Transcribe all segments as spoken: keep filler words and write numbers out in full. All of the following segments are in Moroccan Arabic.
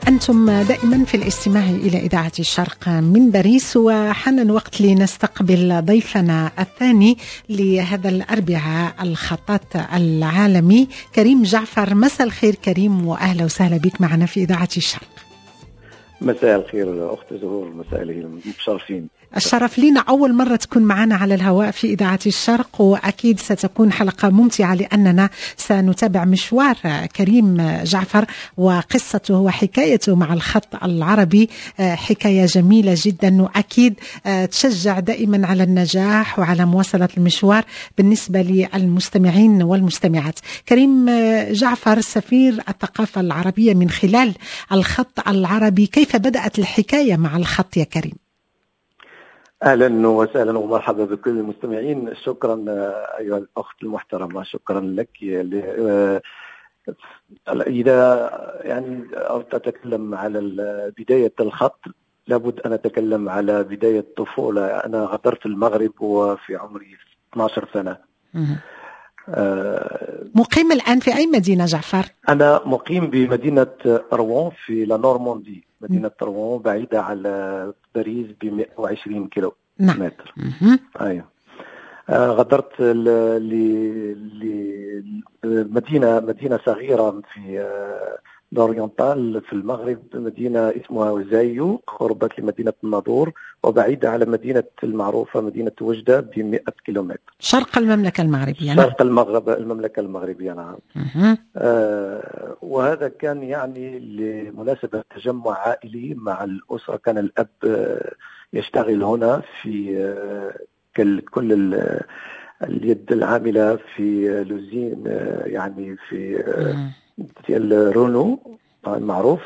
أنتم دائما في الاستماع إلى إذاعة الشرق من باريس، وحان الوقت لنستقبل ضيفنا الثاني لهذا الأربعاء، الخطاط العالمي كريم جعفر. مساء الخير كريم، وأهلا وسهلا بك معنا في إذاعة الشرق. مساء الخير أخت زهور، مساء الخير، متشرفين. الشرف لنا، أول مرة تكون معنا على الهواء في إذاعة الشرق، وأكيد ستكون حلقة ممتعة لأننا سنتابع مشوار كريم جعفر وقصته وحكايته مع الخط العربي، حكاية جميلة جدا وأكيد تشجع دائما على النجاح وعلى مواصلة المشوار بالنسبة للمستمعين والمستمعات. كريم جعفر، سفير الثقافة العربية من خلال الخط العربي، كيف بدأت الحكاية مع الخط يا كريم؟ اهلا وسهلا ومرحبا بكل المستمعين. شكرا ايها الاخت المحترمه، شكرا لك. اذا يعني اردت اتكلم على بداية الخط، لابد ان اتكلم على بداية الطفوله. انا غادرت المغرب وفي عمري اثنا عشر سنه. مقيم الان في اي مدينة جعفر؟ انا مقيم بمدينة روان في la Normandie. مدينة روان بعيدة على باريس ب مئة وعشرين كيلو نعم. متر. ايوه، آه غادرت لمدينة مدينة صغيرة في آه l'oriental في المغرب، مدينة اسمها زايو، قربت لمدينة الناظور وبعيدة على مدينة المعروفة مدينة وجدة ب مئة كيلومتر. شرق المملكة المغربية. نعم. شرق المغرب، المملكة المغربية، نعم. آه وهذا كان يعني لمناسبة تجمع عائلي مع الأسرة. كان الأب يشتغل هنا في آه كل اليد العاملة في l'usine، يعني في ديال رونو المعروف،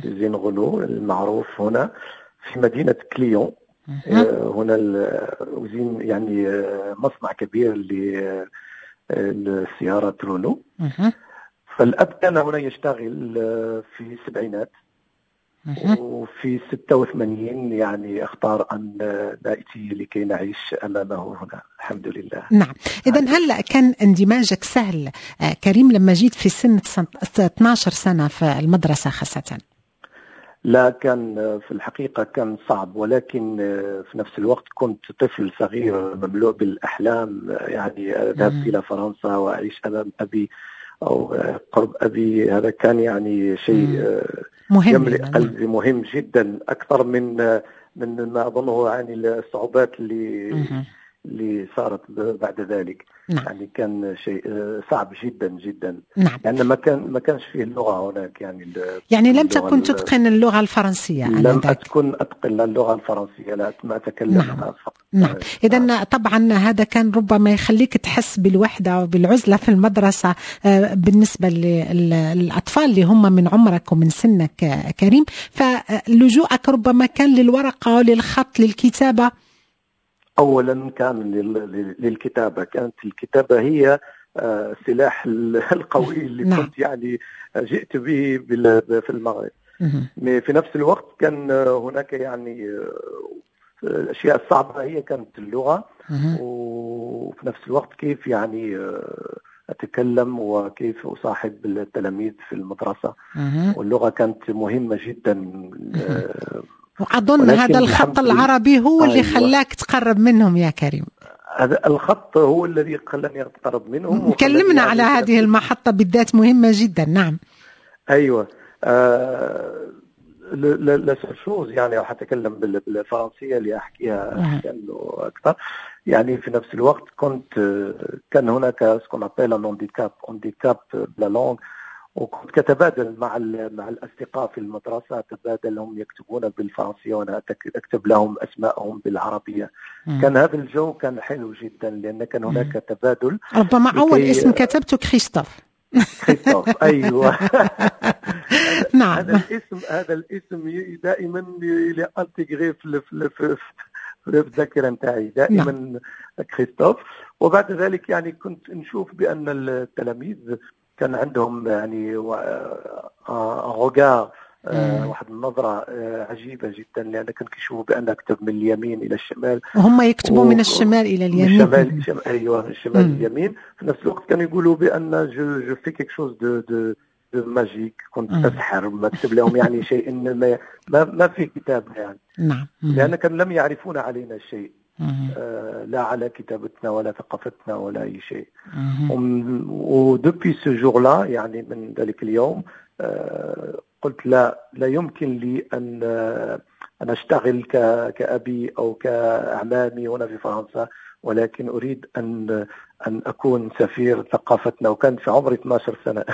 usine Renault المعروف هنا في مدينة كليون. هنا l'usine، يعني مصنع كبير للسيارات رونو. فالأب كان هنا يشتغل في السبعينات، وفي ستة وثمانين يعني اختار أن نأتي لكي نعيش أمامه هنا، الحمد لله. نعم، إذا هل كان اندماجك سهل آه، كريم لما جيت في سن اثنا عشر سنة في المدرسة خاصة؟ لا، كان في الحقيقة كان صعب، ولكن في نفس الوقت كنت طفل صغير مملوء بالأحلام، يعني أذهب إلى فرنسا وأعيش أمام أبي أو قرب أبي، هذا كان يعني شيء مهم يملئ قلبي، مهم جدا أكثر من من ما أظنه يعني الصعوبات اللي اللي صارت بعد ذلك. نعم. يعني كان شيء صعب جدا جدا. نعم. لان ما كان ما كانش فيه اللغة هناك يعني. يعني لم تكن تتقن اللغة الفرنسيه؟ لم اكن اتقن اللغة الفرنسيه، لا، ما اتكلم. نعم. فقط. نعم، اذا طبعا هذا كان ربما يخليك تحس بالوحدة وبالعزله في المدرسة آه، بالنسبة للاطفال اللي هم من عمرك ومن سنك كريم، فلجوءك ربما كان للورقه، للخط، للكتابه. اولا كان للكتابه، كانت الكتابة هي السلاح القوي اللي نعم. كنت يعني جئت به في المغرب. في نفس الوقت كان هناك يعني الاشياء الصعبة هي كانت اللغه، وفي نفس الوقت كيف يعني اتكلم وكيف اصاحب التلاميذ في المدرسه، واللغة كانت مهمة جدا. واظن هذا الخط العربي هو اللي أيوة. خلاك تقرب منهم يا كريم. هذا الخط هو الذي خلاني اتقرب منهم. كلمنا على هذه المحطة بالذات، مهمة جدا، نعم. ايوه، آه la seule chose يعني راح اتكلم بالفرنسيه لاحكيها اكثر. يعني في نفس الوقت كنت كان هناك ce qu'on appelle un handicap handicap ب la langue، وكنت كتبادل مع مع الاصدقاء في المدرسه، اتبادل، هم يكتبون بالفرنسيه وانا اكتب لهم اسماءهم بالعربيه. مم. كان هذا الجو كان حلو جدا لان كان هناك مم. تبادل. ربما اول اسم كتبته كريستوف. كريستوف، ايوه. نعم هذا الاسم هذا الاسم دائما intégré في في في الذاكرة نتاعي دائما. نعم. كريستوف. وبعد ذلك يعني كنت نشوف بان التلاميذ كان عندهم يعني regard، واحد النظرة آه، عجيبة جدا، لأن كان كيشوفوا بأن أكتب من اليمين إلى الشمال. وهم يكتبوا و... من الشمال إلى اليمين. من الشمال، أيوه، من الشمال اليمين. في نفس الوقت كانوا يقولوا بأن je je fais quelque chose de de de magique، كنت اسحر، بكتب لهم يعني شيء ما ما, ما في كتابه يعني. نعم لان كان لم يعرفون علينا شيء، آه لا على كتابتنا ولا ثقافتنا ولا اي شيء. و depuis ce jour-là، يعني من ذلك اليوم، آه قلت لا، لا يمكن لي ان ان اشتغل كابي او كاعمامي هنا في فرنسا، ولكن اريد ان ان اكون سفير ثقافتنا، وكان في عمري اثنا عشر سنه.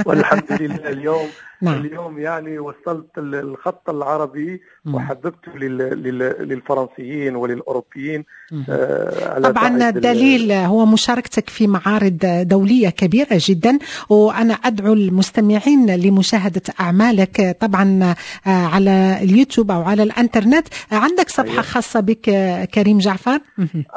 والحمد لله اليوم نعم. اليوم يعني وصلت الخط العربي وحببته للفرنسيين وللاوروبيين. آه طبعا الدليل هو مشاركتك في معارض دولية كبيرة جدا، وانا ادعو المستمعين لمشاهدة اعمالك طبعا آه، على اليوتيوب او على الانترنت. عندك صفحة أيوة. خاصة بك كريم جعفر؟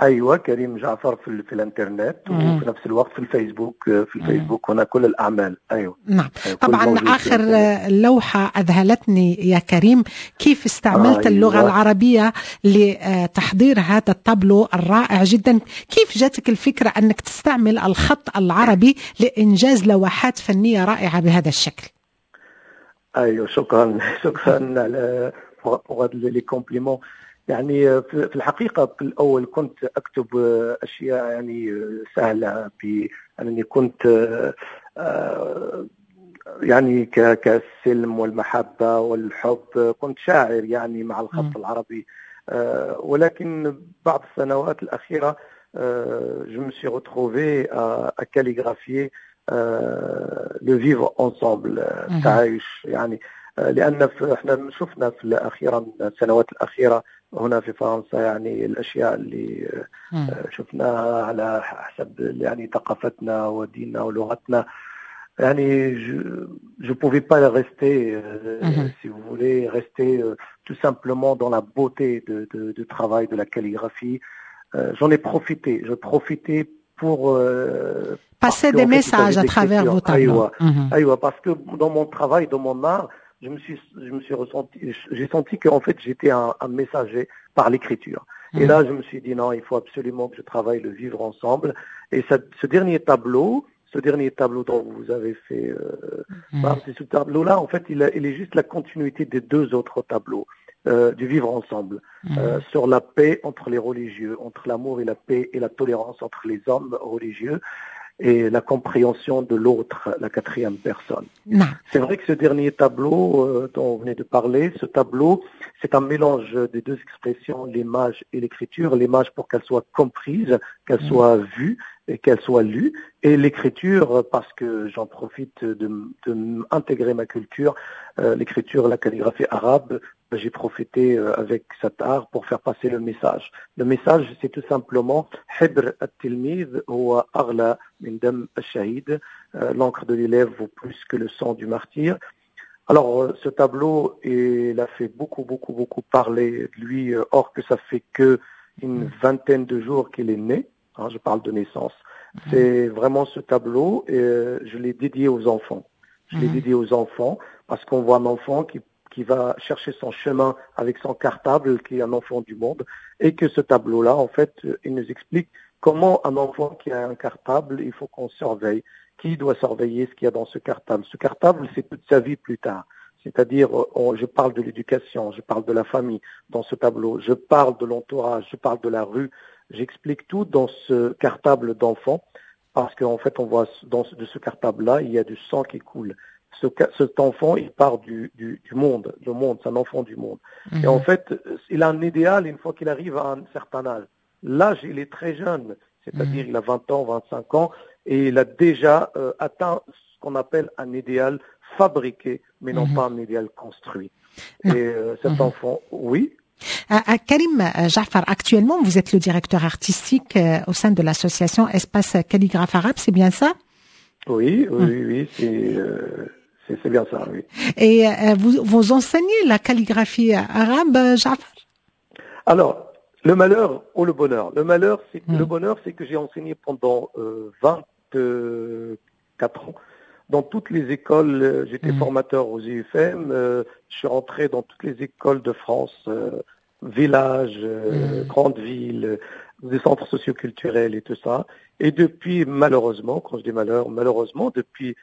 ايوه، كريم جعفر في, في الانترنت وفي نفس الوقت في الفيسبوك، في الفيسبوك هنا كل الاعمال، ايوه. نعم أيوة. طبعا اخر لوحة اذهلتني يا كريم، كيف استعملت أيوة. اللغة العربية لتحضير هذا التابلو الرائع جدا. كيف جاتك الفكرة انك تستعمل الخط العربي لانجاز لوحات فنية رائعة بهذا الشكل؟ ايوه، شكرا شكرا على les compliments. يعني في الحقيقة في الأول كنت أكتب أشياء يعني سهلة، بأنني كنت آه، يعني كالسلم والمحبة والحب، كنت شاعر يعني مع الخط العربي، آه، ولكن بعض السنوات الأخيرة je me suis retrouvé à, à calligraphier le vivre ensemble، التعايش، يعني لان احنا شفنا في اخيرا السنوات الاخيرة هنا في فرنسا يعني الاشياء اللي شفناها على حسب يعني ثقافتنا وديننا ولغتنا. يعني je ne pouvais pas rester, euh, mm -hmm. si vous voulez, rester euh, tout simplement dans la beauté de, de, du travail de la calligraphie. Euh, J'en ai profité. Je profitais pour euh, passer des messages à travers vos tableaux. أيوة, parce que dans mon travail, dans mon art, je me suis, je me suis ressenti, j'ai senti qu'en fait j'étais un, un messager par l'écriture. Et là, je me suis dit non, il faut absolument que je travaille le vivre ensemble. Et ça, ce dernier tableau, ce dernier tableau dont vous avez fait, euh, mmh. ce tableau-là, en fait, il, il, est juste la continuité des deux autres tableaux euh, du vivre ensemble, mmh. euh, sur la paix entre les religieux, entre l'amour et la paix et la tolérance entre les hommes religieux et la compréhension de l'autre, la quatrième personne. C'est vrai que ce dernier tableau euh, dont vous venez de parler, ce tableau, c'est un mélange des deux expressions, l'image et l'écriture. L'image pour qu'elle soit comprise, qu'elle mmh. soit vue et qu'elle soit lue, et l'écriture parce que j'en profite de, de intégrer ma culture, euh, l'écriture, la calligraphie arabe. J'ai profité euh, avec cet art pour faire passer le message. Le message, c'est tout simplement حبر التلميذ هو أغلى من دم الشهيد. L'encre de l'élève vaut plus que le sang du martyr. Alors, euh, ce tableau, il a fait beaucoup, beaucoup, beaucoup parler de lui, or que ça fait que une vingtaine de jours qu'il est né. Hein, je parle de naissance. C'est vraiment ce tableau, et je l'ai dédié aux enfants. Je l'ai dédié aux enfants parce qu'on voit un enfant qui qui va chercher son chemin avec son cartable, qui est un enfant du monde, et que ce tableau-là, en fait, il nous explique comment un enfant qui a un cartable, il faut qu'on surveille. Qui doit surveiller ce qu'il y a dans ce cartable? Ce cartable, c'est toute sa vie plus tard. C'est-à-dire, je parle de l'éducation, je parle de la famille dans ce tableau, je parle de l'entourage, je parle de la rue. J'explique tout dans ce cartable d'enfant, parce qu'en fait, on voit dans ce, de ce cartable-là, il y a du sang qui coule. Ce, cet enfant, il part du, du, du monde. Le monde, c'est un enfant du monde. Mmh. Et en fait, il a un idéal une fois qu'il arrive à un certain âge. L'âge, il est très jeune, c'est-à-dire mmh. il a vingt ans, vingt-cinq ans, et il a déjà euh, atteint ce qu'on appelle un idéal fabriqué, mais non mmh. pas un idéal construit. Et euh, cet enfant, oui. Karim Jaafar, actuellement, vous êtes le directeur artistique au sein de l'association Espace Calligraphe Arabe, c'est bien ça? Oui, oui, oui, c'est euh, c'est bien ça, oui. Et euh, vous, vous enseignez la calligraphie arabe, Jaafar? Alors, le malheur ou le bonheur? Le malheur, c'est mm. le bonheur, c'est que j'ai enseigné pendant euh, vingt-quatre ans dans toutes les écoles. J'étais mm. formateur aux I U F M. Euh, je suis rentré dans toutes les écoles de France, euh, villages, euh, mm. grandes villes, des centres socioculturels et tout ça. Et depuis, malheureusement, quand je dis malheur, malheureusement, depuis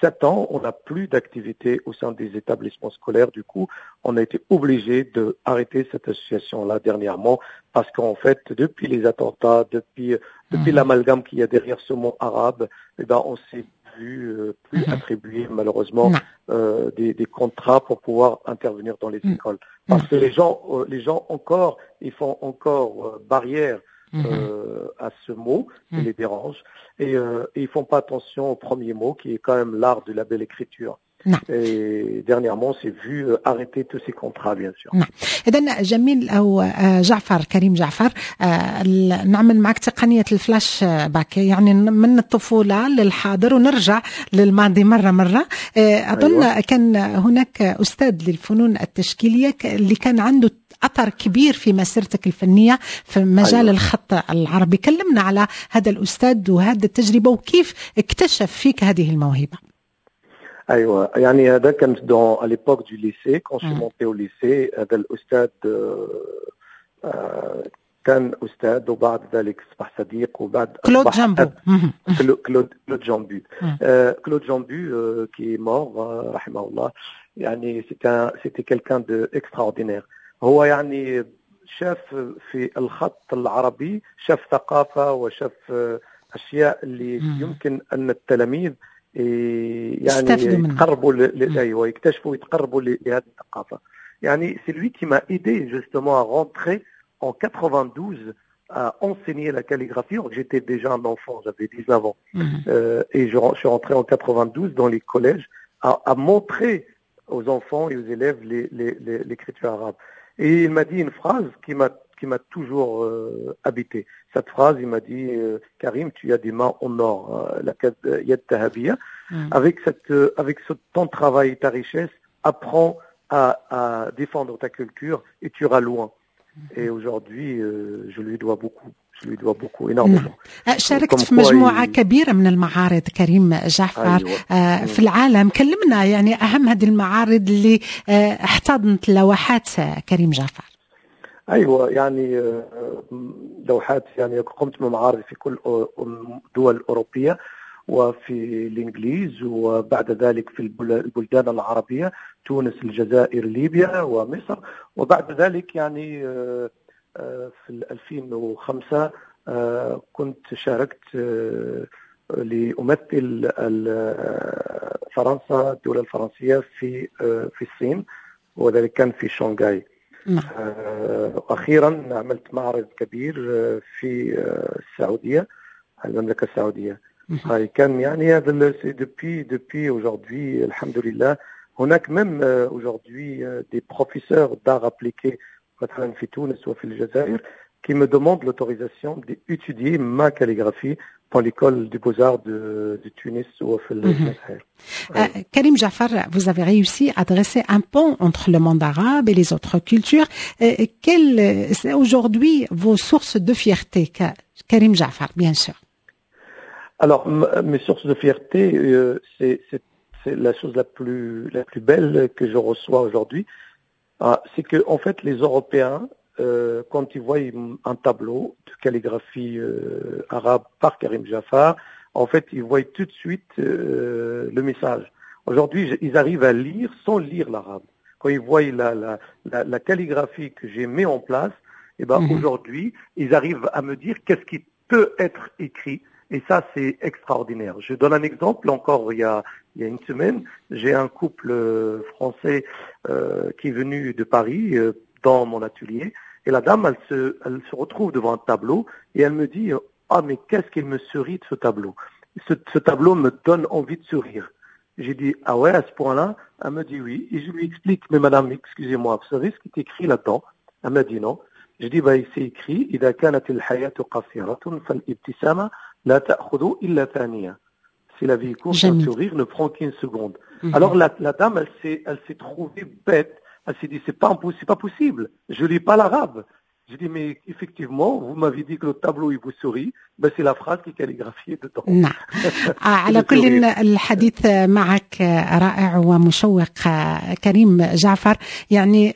sept ans, on n'a plus d'activité au sein des établissements scolaires. Du coup, on a été obligé de arrêter cette association-là dernièrement parce qu'en fait, depuis les attentats, depuis, depuis mmh. l'amalgame qu'il y a derrière ce mot arabe, eh ben, on s'est vu euh, plus mmh. attribuer malheureusement euh, des, des contrats pour pouvoir intervenir dans les mmh. écoles. Parce que les gens, euh, les gens encore, ils font encore euh, barrière euh, à ce mot qui les dérange et, euh, et ils font pas attention au premier mot qui est quand même l'art de la belle écriture. نعم. Et dernièrement, on s'est vu euh, arrêter tous ces contrats, bien sûr. نعم، اذا جميل او آه، جعفر، كريم جعفر، آه، ال- نعمل معك تقنيه الفلاش باك، يعني من الطفوله للحاضر ونرجع للماضي مره مره. آه، اظن أيوة. كان هناك استاذ للفنون التشكيليه ك- اللي كان عنده اثر كبير في مسيرتك الفنيه في مجال أيوة. الخط العربي. كلمنا على هذا الاستاذ وهذه التجربه وكيف اكتشف فيك هذه الموهبه. ايوه، يعني هذا كان dans à l'époque du lycée, quand je suis مم. monté au lycée. هذا الاستاذ آه، آه، كان استاذ وبعد ذلك اصبح صديق وبعد كلود أصبح جامبو أب. مهم. كلو- كلود كلود جامبو. مم. آه، كلود جامبو euh, qui est mort آه، رحمه الله، يعني c'était un- c'était quelqu'un de extraordinaire. هو يعني شاف في الخط العربي، شاف ثقافة وشاف آه، أشياء اللي مم. يمكن أن التلاميذ إيه، يعني يستفيدوا منها. يتقربوا ل... ل... مم. ايوه، يكتشفوا ويتقربوا ل- لهذه الثقافة. يعني c'est lui qui m'a aidé justement à rentrer en quatre-vingt-douze à enseigner la calligraphie. Alors que j'étais déjà un enfant, j'avais dix-neuf ans. مهم. Euh, et je, je suis rentré en quatre-vingt-douze dans les collèges à, à montrer aux enfants et aux élèves les- les- les- l'écriture arabe. Et il m'a dit une phrase qui m'a qui m'a toujours euh, habité. Cette phrase, il m'a dit euh, Karim, tu as des mains en or, hein, la يد ذهبية. مم. Avec cette euh, avec ce, ton travail et ta richesse, apprends à, à défendre ta culture et tu iras loin. Et aujourd'hui, euh, je lui dois beaucoup. Je lui dois beaucoup, énormément. آه، شاركت في Comme quoi مجموعة il- كبيرة من المعارض كريم جعفر أيوة. آه، في العالم. كلمنا يعني أهم هذه المعارض اللي آه، احتضنت لوحات آه، كريم جعفر. ايوه، يعني آه، لوحات، يعني قمت بمعارض في كل الدول الاوروبيه وفي الانجليز وبعد ذلك في البلدان العربيه، تونس، الجزائر، ليبيا ومصر. وبعد ذلك يعني آه، آه، في ألفين وخمسة آه، كنت شاركت لأمثل فرنسا، الدولة الفرنسية في في الصين، وذلك كان في شنغهاي. نعم. أخيرا عملت معرض كبير في السعودية، المملكة السعودية. هاي كان يعني هذا depuis depuis aujourd'hui، الحمد لله، هناك même aujourd'hui des professeurs d'art appliqué مثلا في تونس وفي الجزائر qui me demandent l'autorisation d'étudier ma calligraphie dans l'école des beaux-arts de, de Tunis وفي الجزائر. Karim Jafar, vous avez réussi à dresser un pont entre le monde arabe et les autres cultures. Quelles sont aujourd'hui vos sources de fierté, Karim Jafar, bien sûr? Alors, mes sources de fierté, euh, c'est la chose la plus, la plus belle que je reçois aujourd'hui. Ah, c'est que en fait, les Européens, euh, quand ils voient un tableau de calligraphie euh, arabe par Karim Jafar, en fait, ils voient tout de suite euh, le message. Aujourd'hui, ils arrivent à lire sans lire l'arabe. Quand ils voient la, la, la, la calligraphie que j'ai mis en place, et eh ben, mhm. aujourd'hui, ils arrivent à me dire qu'est-ce qui peut être écrit. Et ça, c'est extraordinaire. Je donne un exemple. Encore il y a, il y a une semaine, j'ai un couple français euh, qui est venu de Paris euh, dans mon atelier. Et la dame, elle se, elle se retrouve devant un tableau et elle me dit: Ah, mais qu'est-ce qu'il me sourit de ce tableau. Ce, ce tableau me donne envie de sourire. J'ai dit: Ah ouais, à ce point-là? Elle me dit: Oui. Et je lui explique: Mais madame, excusez-moi, vous savez ce qui est écrit là-dedans? Elle m'a dit: Non. J'ai dit: Bah, il s'est écrit إذا كانت الحياة قصيرة فالابتسامة لا تأخذ إلا ثانية. Si la vie est courte, un sourire ne prend qu'une seconde. Mhm. Alors la, la dame, elle s'est, elle s'est trouvée bête. Elle s'est dit: c'est pas, c'est pas possible. Je lis pas l'arabe. J'ai dit, mais effectivement, vous m'avez dit que le tableau, il vous sourit. Ben, c'est la phrase qui est calligraphiée dedans. نعم، على كل الحديث معك رائع ومشوق كريم جعفر. يعني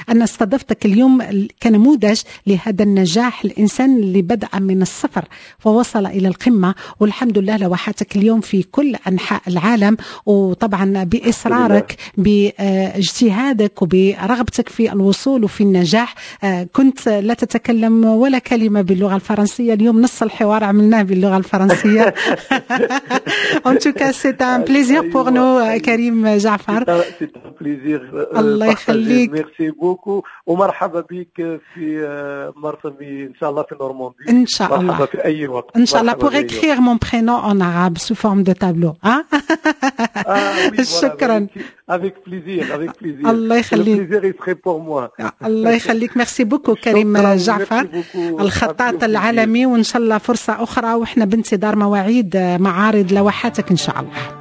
أنا استضفتك اليوم كنموذج لهذا النجاح، الإنسان اللي بدأ من الصفر ووصل إلى القمة، والحمد لله لوحاتك اليوم في كل أنحاء العالم، وطبعا بإصرارك، باجتهادك، وبرغبتك في الوصول وفي النجاح. كنت لا تتكلم ولا كلمة باللغة الفرنسية، اليوم نص الحوار عملناه باللغة الفرنسية. En tout cas, c'est un plaisir pour nous، كريم جعفر. C'est un plaisir. الله يخليك. merci beaucoup ومرحبا بك في مرسمي ان شاء الله في نورماندي. ان شاء الله. مرحبا في اي وقت. ان شاء الله، pour écrire mon prénom en arabe sous forme de tableau. Hein؟ Ah, oui, شكرا. Avec plaisir, avec plaisir. الله يخليك. Le plaisir il serait pour moi. الله يخليك، merci beaucoup كريم جعفر الخطاط العالمي، وان شاء الله فرصة اخرى، واحنا بانتظار مواعيد معارض لوحاتك ان شاء الله.